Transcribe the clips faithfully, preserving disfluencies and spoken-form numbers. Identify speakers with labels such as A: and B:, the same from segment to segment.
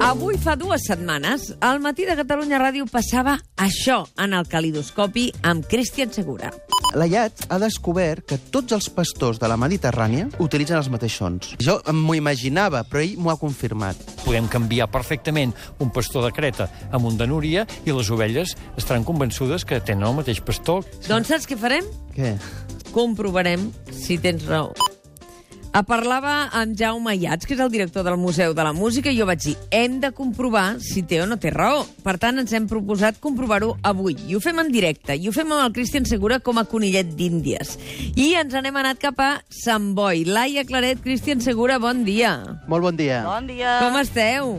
A: Avui fa dues setmanes, al Matí de Catalunya Ràdio passava això en el calidoscopi amb Cristian Segura.
B: La I A T ha descobert que tots els pastors de la Mediterrània utilitzen els mateixos sons. Jo m'ho imaginava, però ell m'ho ha confirmat.
C: Podem canviar perfectament un pastor de Creta amb un de Núria i les ovelles estaran convençudes que tenen el mateix pastor.
A: Doncs saps què farem?
B: Què?
A: Comprovarem si tens raó. A parlava amb Jaume Ayats, que és el director del Museu de la Música, i jo vaig dir, hem de comprovar si té o no té raó. Per tant, ens hem proposat comprovar-ho avui. I ho fem en directe, i ho fem amb el Cristian Segura com a conillet d'Índies. I ens n'hem anat cap a Sant Boi. Laia Claret, Cristian Segura, bon dia.
B: Molt bon dia.
D: Bon dia.
A: Com esteu?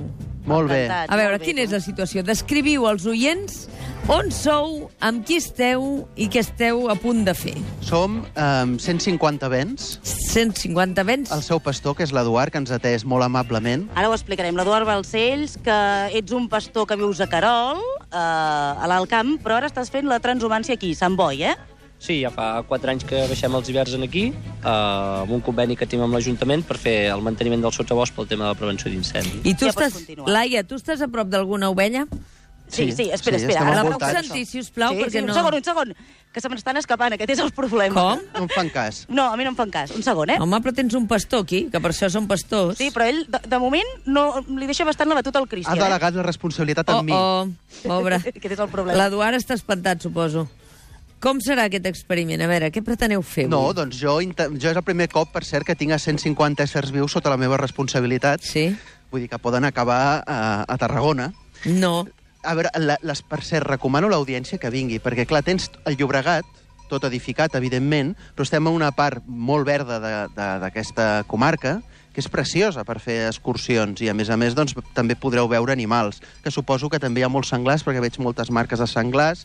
B: Molt bé.
A: A veure, quina és la situació? Descriviu als oients on sou, amb qui esteu i què esteu a punt de fer.
B: Som um, cent cinquanta vents.
A: cent cinquanta vents?
B: El seu pastor, que és l'Eduard, que ens ha atès molt amablement.
D: Ara ho explicarem. L'Eduard Balcells, que ets un pastor que vius a Querol, eh, a l'Alt Camp, però ara estàs fent la transhumància aquí, Sant Boi, eh?
E: Sí, ja fa quatre anys que baixem els hiverns aquí, eh, amb un conveni que tenim amb l'Ajuntament per fer el manteniment del sotabosc pel tema de la prevenció d'incendi.
A: I tu
D: Ja pots
A: estàs,
D: continuar.
A: Laia, tu estàs a prop d'alguna ovella?
D: Sí, sí, espera,
B: sí,
D: espera.
B: estem
D: Ara
A: La
D: puc
A: puc
B: envoltats.
A: sentir, si us plau,
D: sí,
A: perquè
D: sí,
A: no...
D: un segon, un segon, que se m'estan escapant, aquest és el problema.
A: Com?
B: No em fan cas.
D: No, a mi no em fan cas. Un segon, eh?
A: Home, però tens un pastor aquí, que per això són pastors.
D: Sí, però ell, de, de moment, no, li deixa bastant la batuta al
B: Ha
D: Cristian,
B: delegat la responsabilitat
A: Oh,
B: en mi.
A: oh, pobre.
D: eh? Aquest és el problema.
A: L'Eduard està espantat, suposo. Com serà aquest experiment? A veure, què preteneu fer avui?
B: No, doncs jo, inte- jo és el primer cop, per cert, que tinc a cent cinquanta éssers vius sota la meva responsabilitat.
A: Sí?
B: Vull dir que poden acabar a, a Tarragona.
A: No.
B: A veure, la, les, per cert, recomano a l'audiència que vingui, perquè, clar, tens el Llobregat, tot edificat, evidentment, però estem en una part molt verda de- de- d'aquesta comarca, que és preciosa per fer excursions, i, a més a més, doncs, també podreu veure animals, que suposo que també hi ha molts senglars, perquè veig moltes marques de senglars,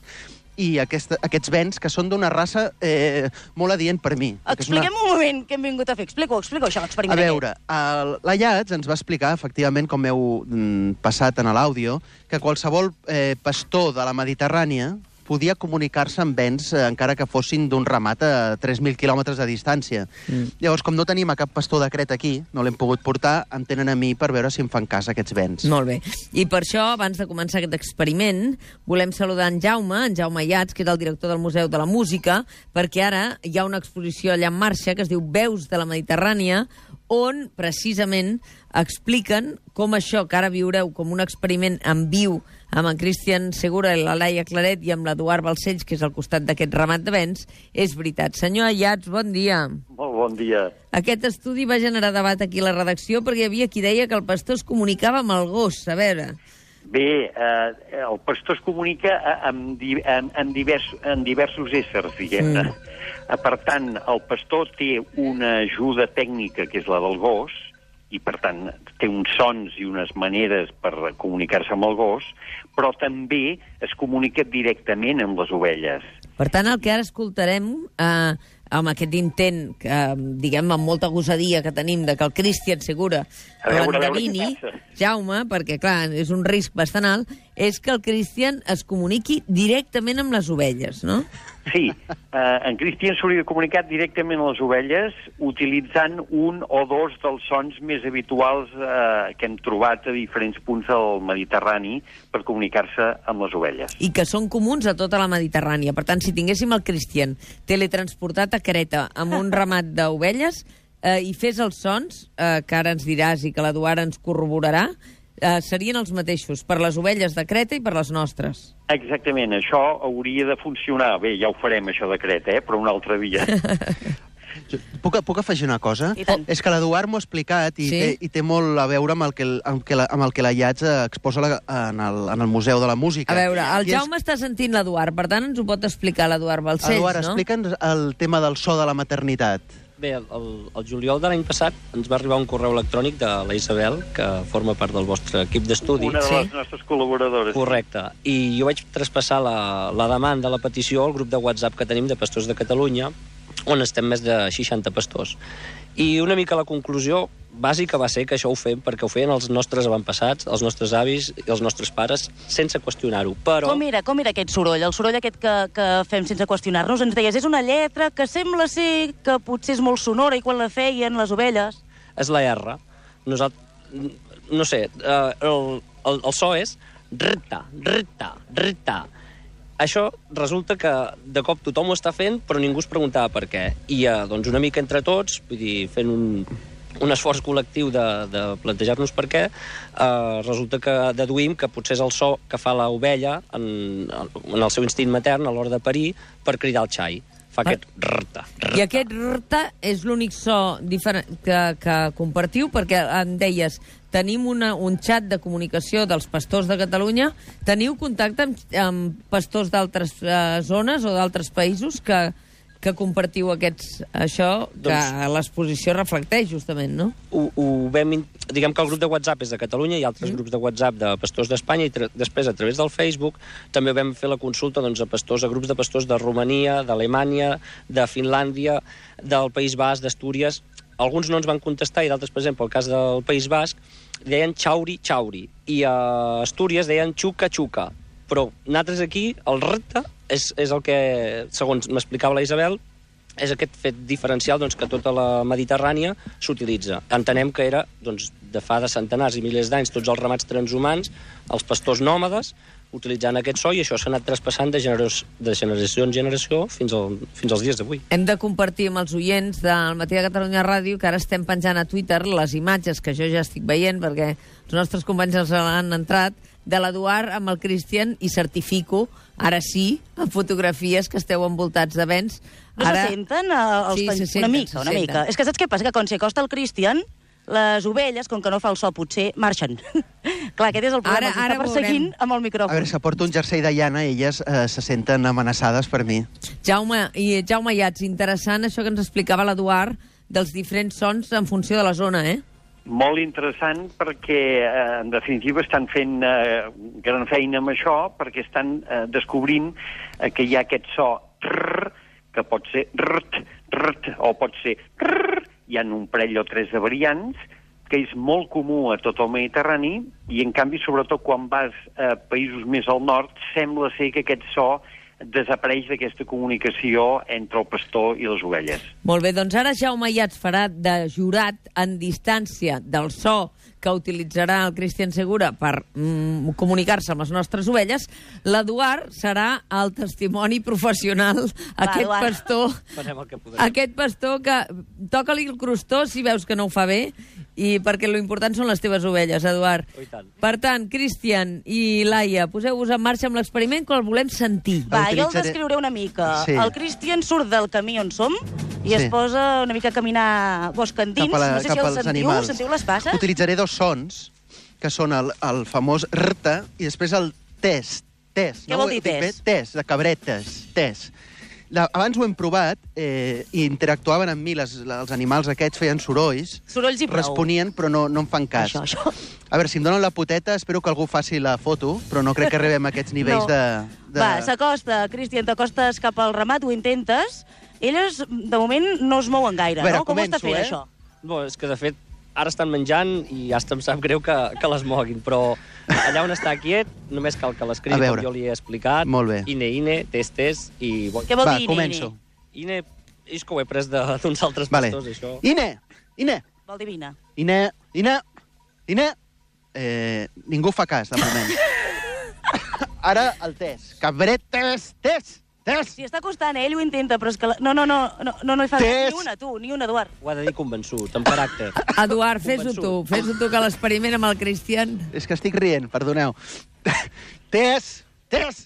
B: i aquesta, aquests vents, que són d'una raça eh, molt adient per mi. perquè és una-
D: Expliquem un moment què hem vingut a fer. Explico, explico això,
B: A
D: l'experiment.
B: veure, el, la I A T ens va explicar, efectivament, com heu mm, passat en l'àudio, que qualsevol eh, pastor de la Mediterrània podia comunicar-se amb vents, eh, encara que fossin d'un ramat a tres mil quilòmetres de distància. Mm. Llavors, com no tenim a cap pastor de Creta aquí, no l'hem pogut portar, em tenen a mi per veure si em fan cas aquests vents.
A: Molt bé. I per això, abans de començar aquest experiment, volem saludar en Jaume, en Jaume Ayats, que és el director del Museu de la Música, perquè ara hi ha una exposició allà en marxa que es diu Veus de la Mediterrània, on precisament expliquen com això que ara viureu com un experiment en viu amb en Cristian Segura, la Laia Claret i amb l'Eduard Balcells, que és al costat d'aquest ramat de vents, és veritat. Senyor Ayats, bon dia.
F: Molt bon dia.
A: Aquest estudi va generar debat aquí a la redacció perquè hi havia qui deia que el pastor es comunicava amb el gos. A veure...
F: Bé, eh, el pastor es comunica amb, di amb, amb, divers amb diversos éssers, diguem-ne. Mm. Per tant, el pastor té una ajuda tècnica, que és la del gos, i per tant té uns sons i unes maneres per comunicar-se amb el gos, però també es comunica directament amb les ovelles.
A: Per tant, el que ara escoltarem, eh, amb aquest intent, que, diguem, amb molta gosadia que tenim, de que el Cristian Segura
F: A veure, a veure
A: l'endevini,
F: què passa.
A: Jaume, perquè, clar, és un risc bastant alt, és que el Cristian es comuniqui directament amb les ovelles, no?
F: Sí, eh, en Cristian s'hauria de comunicar directament a les ovelles utilitzant un o dos dels sons més habituals eh, que hem trobat a diferents punts del Mediterrani per comunicar-se amb les ovelles.
A: I que són comuns a tota la Mediterrània. Per tant, si tinguéssim el Cristian teletransportat a Creta amb un ramat d'ovelles eh, i fes els sons, eh, que ara ens diràs i que l'Eduard ens corroborarà, eh, serien els mateixos per les ovelles de Creta i per les nostres.
F: Exactament, això hauria de funcionar. Bé, ja ho farem, això de Creta, eh? Però un altre dia.
B: Jo, puc, puc afegir una cosa?
D: I tant.
B: És que l'Eduard m'ho ha explicat i,
A: Sí?
B: té, i té molt a veure amb el que, el- amb que la, amb el que la I A T exposa la, en, el, en el Museu de la Música.
A: A veure, el
B: I és-
A: Jaume està sentint l'Eduard, per tant ens ho pot explicar l'Eduard Balcells,
B: Eduard,
A: no?
B: explica'ns el tema del so de la maternitat.
E: Bé, el, el, el juliol de l'any passat ens va arribar un correu electrònic de la Isabel, que forma part del vostre equip d'estudi.
F: Una de
A: Sí.
F: les nostres col·laboradores.
E: Correcte. I jo vaig traspassar la, la demanda, la petició, al grup de WhatsApp que tenim de Pastors de Catalunya, on estem més de seixanta pastors. I una mica la conclusió bàsica va ser que això ho fem perquè ho feien els nostres avantpassats, els nostres avis i els nostres pares, sense qüestionar-ho. Però
D: Com era, com era aquest soroll? El soroll aquest que, que fem sense qüestionar-nos? Ens deies, és una lletra que sembla ser que potser és molt sonora i quan la feien les ovelles...
E: és la R. Nosaltres, no sé, uh, el, el, el so és rta, rta, rta. Això resulta que de cop tothom ho està fent, però ningú es preguntava per què. I uh, doncs una mica entre tots, vull dir, fent un, un esforç col·lectiu de, de plantejar-nos per què, uh, resulta que deduïm que potser és el so que fa l'ovella en, en el seu instint matern a l'hora de parir per cridar el xai. Fa aquest rta, rta.
A: I aquest rta és l'únic so diferent que, que compartiu, perquè em deies, tenim una, un xat de comunicació dels pastors de Catalunya. Teniu contacte amb, amb pastors d'altres uh, zones o d'altres països que, que compartiu aquests, això, que doncs, l'exposició reflecteix, justament, no?
E: Ho, ho vam, diguem que el grup de WhatsApp és de Catalunya, hi ha altres mm. grups de WhatsApp de pastors d'Espanya, i després, a través del Facebook, també vam fer la consulta doncs, a pastors, a grups de pastors de Romania, d'Alemanya, de Finlàndia, del País Basc, d'Astúries. Alguns no ens van contestar, i d'altres, per exemple, el cas del País Basc, deien xauri, xauri, i a Astúries deien xuca, xuca. Però nosaltres aquí, el repte és, és el que, segons m'explicava la Isabel, és aquest fet diferencial doncs, que tota la Mediterrània s'utilitza. Entenem que era doncs, de fa de centenars i milers d'anys tots els ramats transhumans, els pastors nòmades, utilitzant aquest so, i això s'ha anat traspassant de, generació, de generació en generació fins, al, fins als dies d'avui.
A: Hem de compartir amb els oients del Matí de Catalunya Ràdio, que ara estem penjant a Twitter les imatges que jo ja estic veient, perquè els nostres companys els han entrat, de l'Eduard amb el Cristian, i certifico, ara sí, amb fotografies que esteu envoltats de vents.
D: No ara... se senten uh, els
A: sí,
D: pen...
A: se senten,
D: una mica, una
A: senten.
D: mica. És que saps què passa? Que quan s'hi acosta el Cristian, les ovelles, com que no fa el so, potser marxen. Clar, aquest és el problema, ara, ara està perseguint veurem. Amb el micròfon.
B: A veure, si porto un jersei de llana, elles eh, se senten amenaçades per mi.
A: Jaume, i Jaume Iats, interessant això que ens explicava l'Eduard dels diferents sons en funció de la zona, eh?
F: Molt interessant perquè, eh, en definitiva, estan fent eh, gran feina amb això, perquè estan eh, descobrint eh, que hi ha aquest so trrr, que pot ser rrt, rrt, o pot ser rrr. Hi ha un parell o tres de variants, que és molt comú a tot el Mediterrani, i en canvi, sobretot quan vas a països més al nord, sembla ser que aquest so desapareix d'aquesta comunicació entre el pastor i les ovelles.
A: Molt bé, doncs ara Jaume Iats farà de jurat en distància del so que utilitzarà el Cristian Segura per mm, comunicar-se amb les nostres ovelles. L'Eduard serà el testimoni professional, Va, aquest Eduard. pastor, aquest pastor que toca-li el crostó si veus que no ho fa bé, i perquè l'important són les teves ovelles, Eduard.
E: Oh, tant.
A: Per tant, Cristian i Laia, poseu-vos en marxa amb l'experiment, que el volem sentir.
D: Va, jo el descriuré una mica. Sí. El Cristian surt del camí on som i sí. es posa una mica a caminar boscandins.
B: La,
D: no sé si el sentiu,
B: animals.
D: sentiu les passes?
B: Utilitzaré dos sons, que són el, el famós rta i després el tes. Tes.
D: Què
B: no?
D: vol dir tes?
B: Tes, de cabretes. Tes. La, abans ho hem provat eh, i interactuaven amb mi, les, els animals aquests feien sorolls.
D: Sorolls i prou.
B: Responien, però no, no en fan cas.
D: Això, això.
B: A veure, si em donen la poteta, espero que algú faci la foto, però no crec que arribem a aquests nivells no. de, de...
D: Va, s'acosta, Cristian, t'acostes cap al ramat, ho intentes. Elles, de moment, no es mouen gaire,
B: veure,
D: no? Com
B: començo,
D: ho està fent,
B: eh?
D: això?
E: Bo, és que, de fet, ara estan menjant i hasta em sap greu que, que les moguin, però allà on està quiet només cal que l'escrigui com jo li he explicat.
B: Molt bé.
E: Ine, ine, tes, tes, i...
D: Què vol
B: Va,
D: dir ine,
B: començo.
E: Ine, és que ho he pres d'uns altres
B: vale.
E: pastors, això.
B: Ine, Ine.
D: Vol dir vine.
B: Ine, Ine, Ine. Eh, ningú fa cas, de moment. Ara el tes. Cabretes, tes. Tes!
D: Si està costant, eh? Ell ho intenta, però és que... La... No, no, no, no, no, no hi fa
B: Tes.
D: ni una, tu, ni una, Eduard.
E: Ho ha de dir convençut, amb caràcter.
A: Eduard, fes-ho tu, fes-ho tu, que l'experiment amb el Cristian...
B: És que estic rient, perdoneu. Tes! Tes!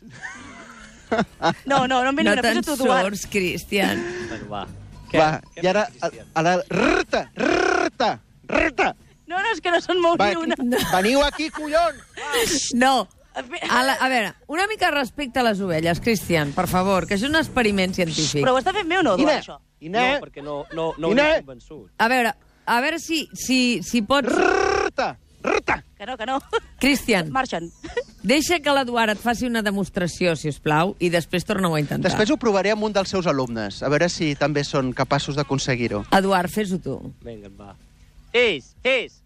D: No, no, no em veni
A: no
D: una, fes-ho tu, Eduard.
A: No te'n surts, Cristian.
E: Bueno, va. Què?
B: Va,
E: Què
B: i ara... A, a la... Rta! Rta! Rta!
D: No, no, és que no se'n mou
B: Va,
D: ni una.
B: no. Veniu aquí, collons!
A: No. A, la, a veure, una mica respecte a les ovelles, Cristian, per favor, que és un experiment científic.
D: Però ho està fent bé o no, Eduard,
B: Ine,
D: això?
B: Ine,
E: No, perquè no, no, no ho
B: Ine.
E: he convençut.
A: A veure, a veure si, si, si pots...
B: Rta! Rta!
D: Que no, que no.
A: Cristian,
D: Marxen.
A: deixa que l'Eduard et faci una demostració, si us plau, i després torna-ho a intentar.
B: Després ho provaré amb un dels seus alumnes, a veure si també són capaços d'aconseguir-ho.
A: Eduard, fes-ho tu.
E: Vinga, va. Tes, tes.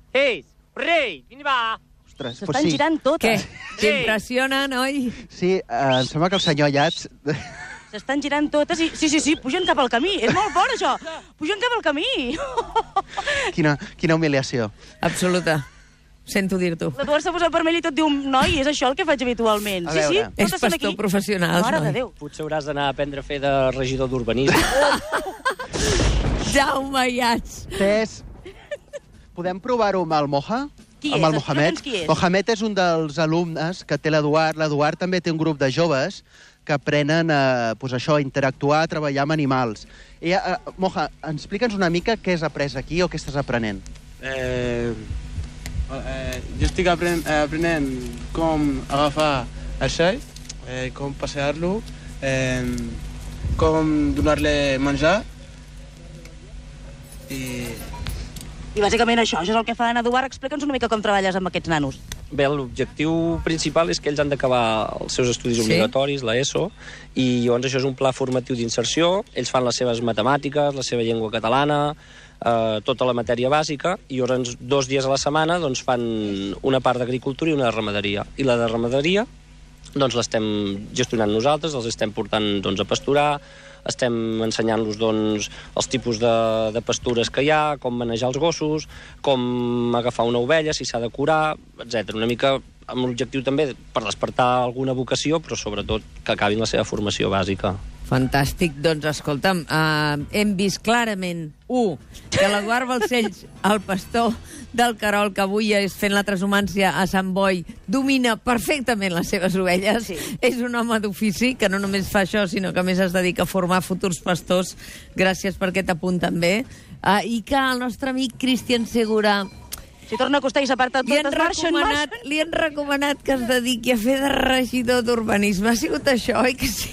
E: Tes, rei, vine, va.
B: Ostres,
D: S'estan sí. girant
A: Què?
D: totes.
A: T'impressionen, oi?
B: Sí, eh, em sembla que el senyor Iats...
D: S'estan girant totes i... Sí, sí, sí, pugen cap al camí. És molt fort, això. Pugen cap al camí.
B: Quina, quina humiliació.
A: Absoluta. Sento dir-t'ho.
D: L'Eduard s'ha posat vermell i tot diu, noi, és això el que faig habitualment.
B: A
D: Sí, sí,
B: veure.
A: És
D: tot sent
A: pastor professional,
D: Mare
A: noi.
D: de Déu.
E: Potser hauràs d'anar a aprendre a fer de regidor d'urbanisme.
A: Jaume Iats.
B: Tess, podem provar-ho amb el Moja?
D: Qui
B: amb
D: és?
B: el Mohamed?
D: Explica'ns qui és.
B: Mohamed és un dels alumnes que té l'Eduard. L'Eduard també té un grup de joves que aprenen a, pues això, a interactuar, a treballar amb animals. I, uh, Moja, explica'ns una mica què has après aquí o què estàs aprenent.
G: Eh, eh, jo estic apren eh, aprenent com agafar el xai, eh, com passejar-lo, eh, com donar-li menjar i...
D: I bàsicament això, això és el que fa en Eduard. Explica'ns una mica com treballes amb aquests nanos.
E: Bé, l'objectiu principal és que ells han d'acabar els seus estudis
A: Sí.
E: obligatoris, la ESO, i llavors això és un pla formatiu d'inserció. Ells fan les seves matemàtiques, la seva llengua catalana, eh, tota la matèria bàsica, i llavors dos dies a la setmana doncs, fan una part d'agricultura i una de ramaderia. I la de ramaderia doncs, l'estem gestionant nosaltres, els estem portant doncs, a pasturar, estem ensenyant-los doncs, els tipus de, de pastures que hi ha, com manejar els gossos, com agafar una ovella, si s'ha de curar, etcètera. Una mica amb l'objectiu també per despertar alguna vocació, però sobretot que acabin la seva formació bàsica.
A: Fantàstic. Doncs, escolta'm, uh, hem vist clarament, un, que l'Eduard Balcells, el pastor del Querol, que avui és fent la transhumància a Sant Boi, domina perfectament les seves ovelles.
D: Sí.
A: És un home d'ofici que no només fa això, sinó que a més es dedica a formar futurs pastors. Gràcies per aquest apunt, també. Uh, I que el nostre amic Cristian Segura...
D: Si torna a costar i s'aparta
A: Li han,
D: totes, marxen,
A: recomanat,
D: marxen.
A: li han recomanat que es dediqui a fer de regidor d'urbanisme. Ha sigut això, oi que sí?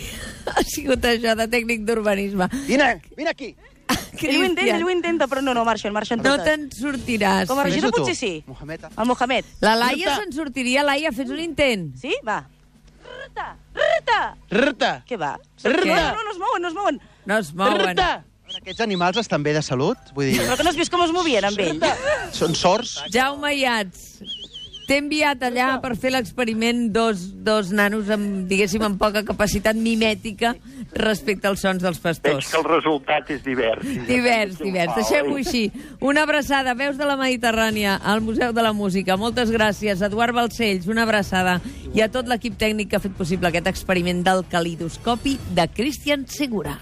A: Ha sigut això, de tècnic d'urbanisme.
B: Vine, vine aquí!
D: Ell ho intenta, ell ho intenta, però no, no, marxen, marxen
A: No
D: totes.
A: te'n sortiràs.
D: Com a regidor
B: Fes-ho tu,
D: potser sí.
B: Mohamed.
D: El Mohamed.
A: La Laia se'n sortiria. Laia, fes un intent.
D: Sí? Va. Rta, rta.
G: Rta!
D: Què va?
G: Rta!
D: No, no, no es mouen, no es mouen.
A: No es mouen.
G: Rta!
B: Aquests animals estan bé de salut? Vull dir,
D: Però que no has vist com es movien amb ell?
B: són sords?
A: Jaume Iats, t'he enviat allà per fer l'experiment dos, dos nanos amb, diguéssim, amb poca capacitat mimètica respecte als sons dels
F: Veig
A: pastors.
F: que el resultat és divers.
A: Divers, divers. Deixem-ho així. Una abraçada, Veus de la Mediterrània, al Museu de la Música. Moltes gràcies. Eduard Balcells, una abraçada. I a tot l'equip tècnic que ha fet possible aquest experiment del calidoscopi de Cristian Segura.